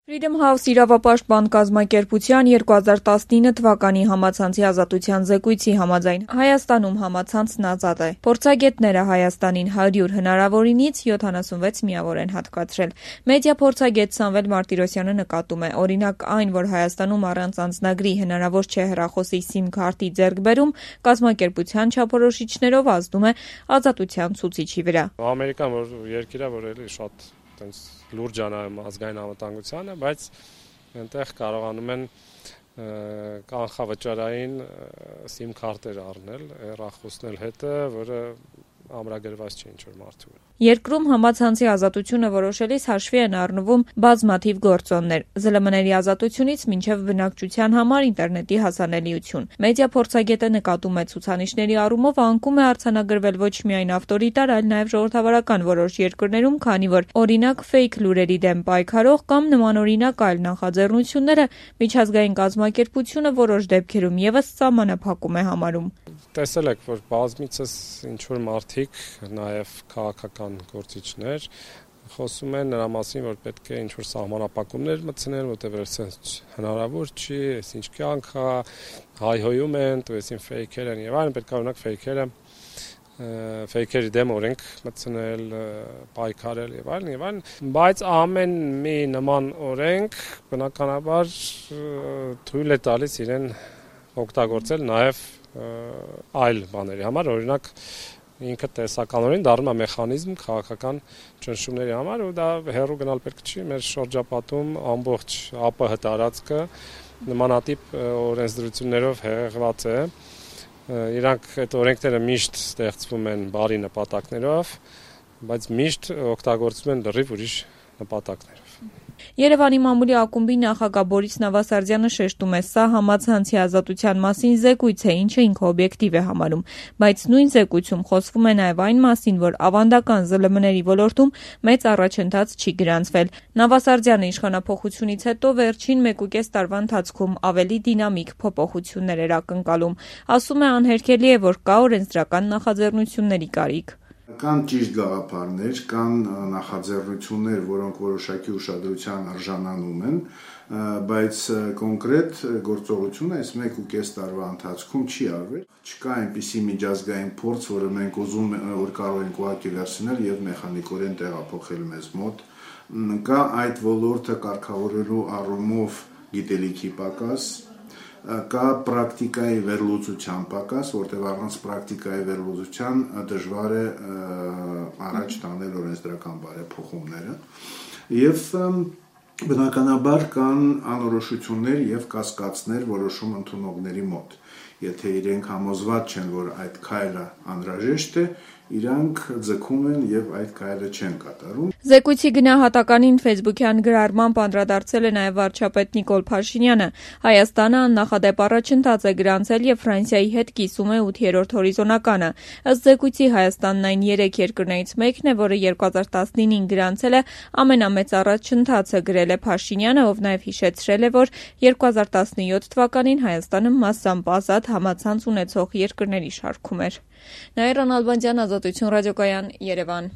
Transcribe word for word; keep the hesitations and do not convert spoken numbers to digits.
Freedom House իրավապաշտպան կազմակերպության երկու հազար տասնինը թվականի համացանցի ազատության զեկույցի համաձայն Հայաստանում համացանցն ազատ է։ Փորձագետները Հայաստանին հարյուր հնարավորինից յոթանասունվեց միավոր են հատկացրել։ Մեդիա փորձագետ Սամվել Մարտիրոսյանը նկատում է, օրինակ այն, որ Հայաստանում առանց անձնագրի հնարավոր չէ հեռախոսի սիմ քարտի ձեռքբերում, կազմակերպության չափորոշիչներով ազդում է ազատության ցուցիչի վրա։ Ամերիկան որ երկիր է, որ էլի շատ տենց լուրջ անայում ազգային անվտանգությանը, բայց այնտեղ կարողանում են կանխավճարային սիմ քարտեր առնել, հեռախոսնել հետը, որը ամրագրված չէ ինչ-որ մարդու։ Երկրում համացանցի ազատությունը որոշելիս հաշվի են առնվում բազմաթիվ գործոններ՝ զլմ ների ազատությունից մինչև բնակչության համար ինտերնետի հասանելիություն։ Մեդիա փորձագետը նկատում է ցուցանիշների առումով անկում է արձանագրվել ոչ միայն ավտորիտար, այլ նաև ժողովրդավարական որոշ երկրներում, քանի որ օրինակ ֆեյք լուրերի դեմ պայքարող կամ նմանօրինակ այլ նախաձեռնությունները միջազգային կազմակերպությունը որոշ դեպքերում ևս սահմանափակում է համարում։ Տեսել եք, որ բազմիցս ինչ-որ մարդիկ, նաև քաղաքական գործիչներ խոսում են նրա մասին, որ պետք է ինչ-որ սահմանափակումներ մտցնել, որտեղ այդպես հնարավոր չի, այս ինչ կյանք է, հայհոյում են, տվեցին ֆեյքեր են եւ այլն, պետք է օրինակ ֆեյքերը ֆեյքերի դեմ օրենք մտցնել, պայքարել եւ այլն եւ այլն, բայց ամեն մի նման օրենք բնականաբար թույլ է տալիս իրեն օգտագործել նաեւ այլ բաների համար, օրինակ ինքը տեսականորեն դառնում է մեխանիզմ քաղաքական ճնշումների համար, ու դա հեռու գնալ պետք չի, մեր շրջապատում ամբողջ ԱՊՀ տարածքը նմանատիպ օրենսդրություններով հեղեղված է, իրանք այդ օրենքները միշտ ստեղծվում են բարի նպատակներով, բայց միշտ օգտագործվում են լրիվ ուրիշ նպատակներով։ Երևանի մամուլի ակումբի նախագահ Բորիս Նավասարդյանը շեշտում է, սա համացանցի ազատության մասին զեկույց է, ինչը ինքը օբյեկտիվ է համարում, բայց նույն զեկույցում խոսվում է նաև այն մասին, որ ավանդական զլմ ների ոլորտում մեծ առաջընթաց չի գրանցվել։ Նավասարդյանը իշխանափոխությունից հետո վերջին մեկուկես տարվա ընթացքում ավելի դինամիկ փոփոխություններ էր ակնկալում։ Ասում է, անհերքելի է, որ կա օրենսդրական նախաձեռնությունների կարիք։ Կան ճիշտ գաղափարներ, կան նախաձեռնություններ, որոնք որոշակի ուշադրության արժանանում են, բայց կոնկրետ գործողությունը այս մեկ ու կես տարվա ընթացքում չի արվել։ Չկա այնպիսի միջազգային փորձ, որը մենք ուզում որ կարող ենք ուղղակի վերցնել եւ մեխանիկորեն տեղափոխել մեզ մոտ։ Կա այդ ոլորտը կարգավորելու առումով գիտելիքի պակաս, կա պրակտիկայի վերլուծության պակաս, որտեղ առանց պրակտիկայի վերլուծության դժվար է առաջ տանել օրենսդրական բարեփոխումները եւ բնականաբար կան անորոշություններ եւ կասկածներ որոշում ընդունողների մոտ։ Եթե իրենք համոզված չեն, որ այդ քայլը անհրաժեշտ է, իրանք ձգում են եւ այդ քայլը չեն կատարում։ Զեկույցի գնահատականին Facebook-յան գրառմամբ անդրադարձել է նաև վարչապետ Նիկոլ Փաշինյանը։ Հայաստանը աննախադեպ առաջընթաց է գրանցել եւ Ֆրանսիայի հետ կիսում է ութերորդ հորիզոնականը։ Ըստ զեկույցի Հայաստանն այն երեք երկրներից մեկն է, որը երկու հազար տասնինին գրանցել է ամենամեծ առաջընթացը, գրել է Փաշինյանը, ով նաև հիշեցրել է, որ երկու հազար տասնյոթ թվականին Հայաստանը մասամբ ազատ համացանց ունեցող երկրների շարքում էր։ Նաիրա Նալբանդյան, Ազատություն ռադիոկայան, Երևան։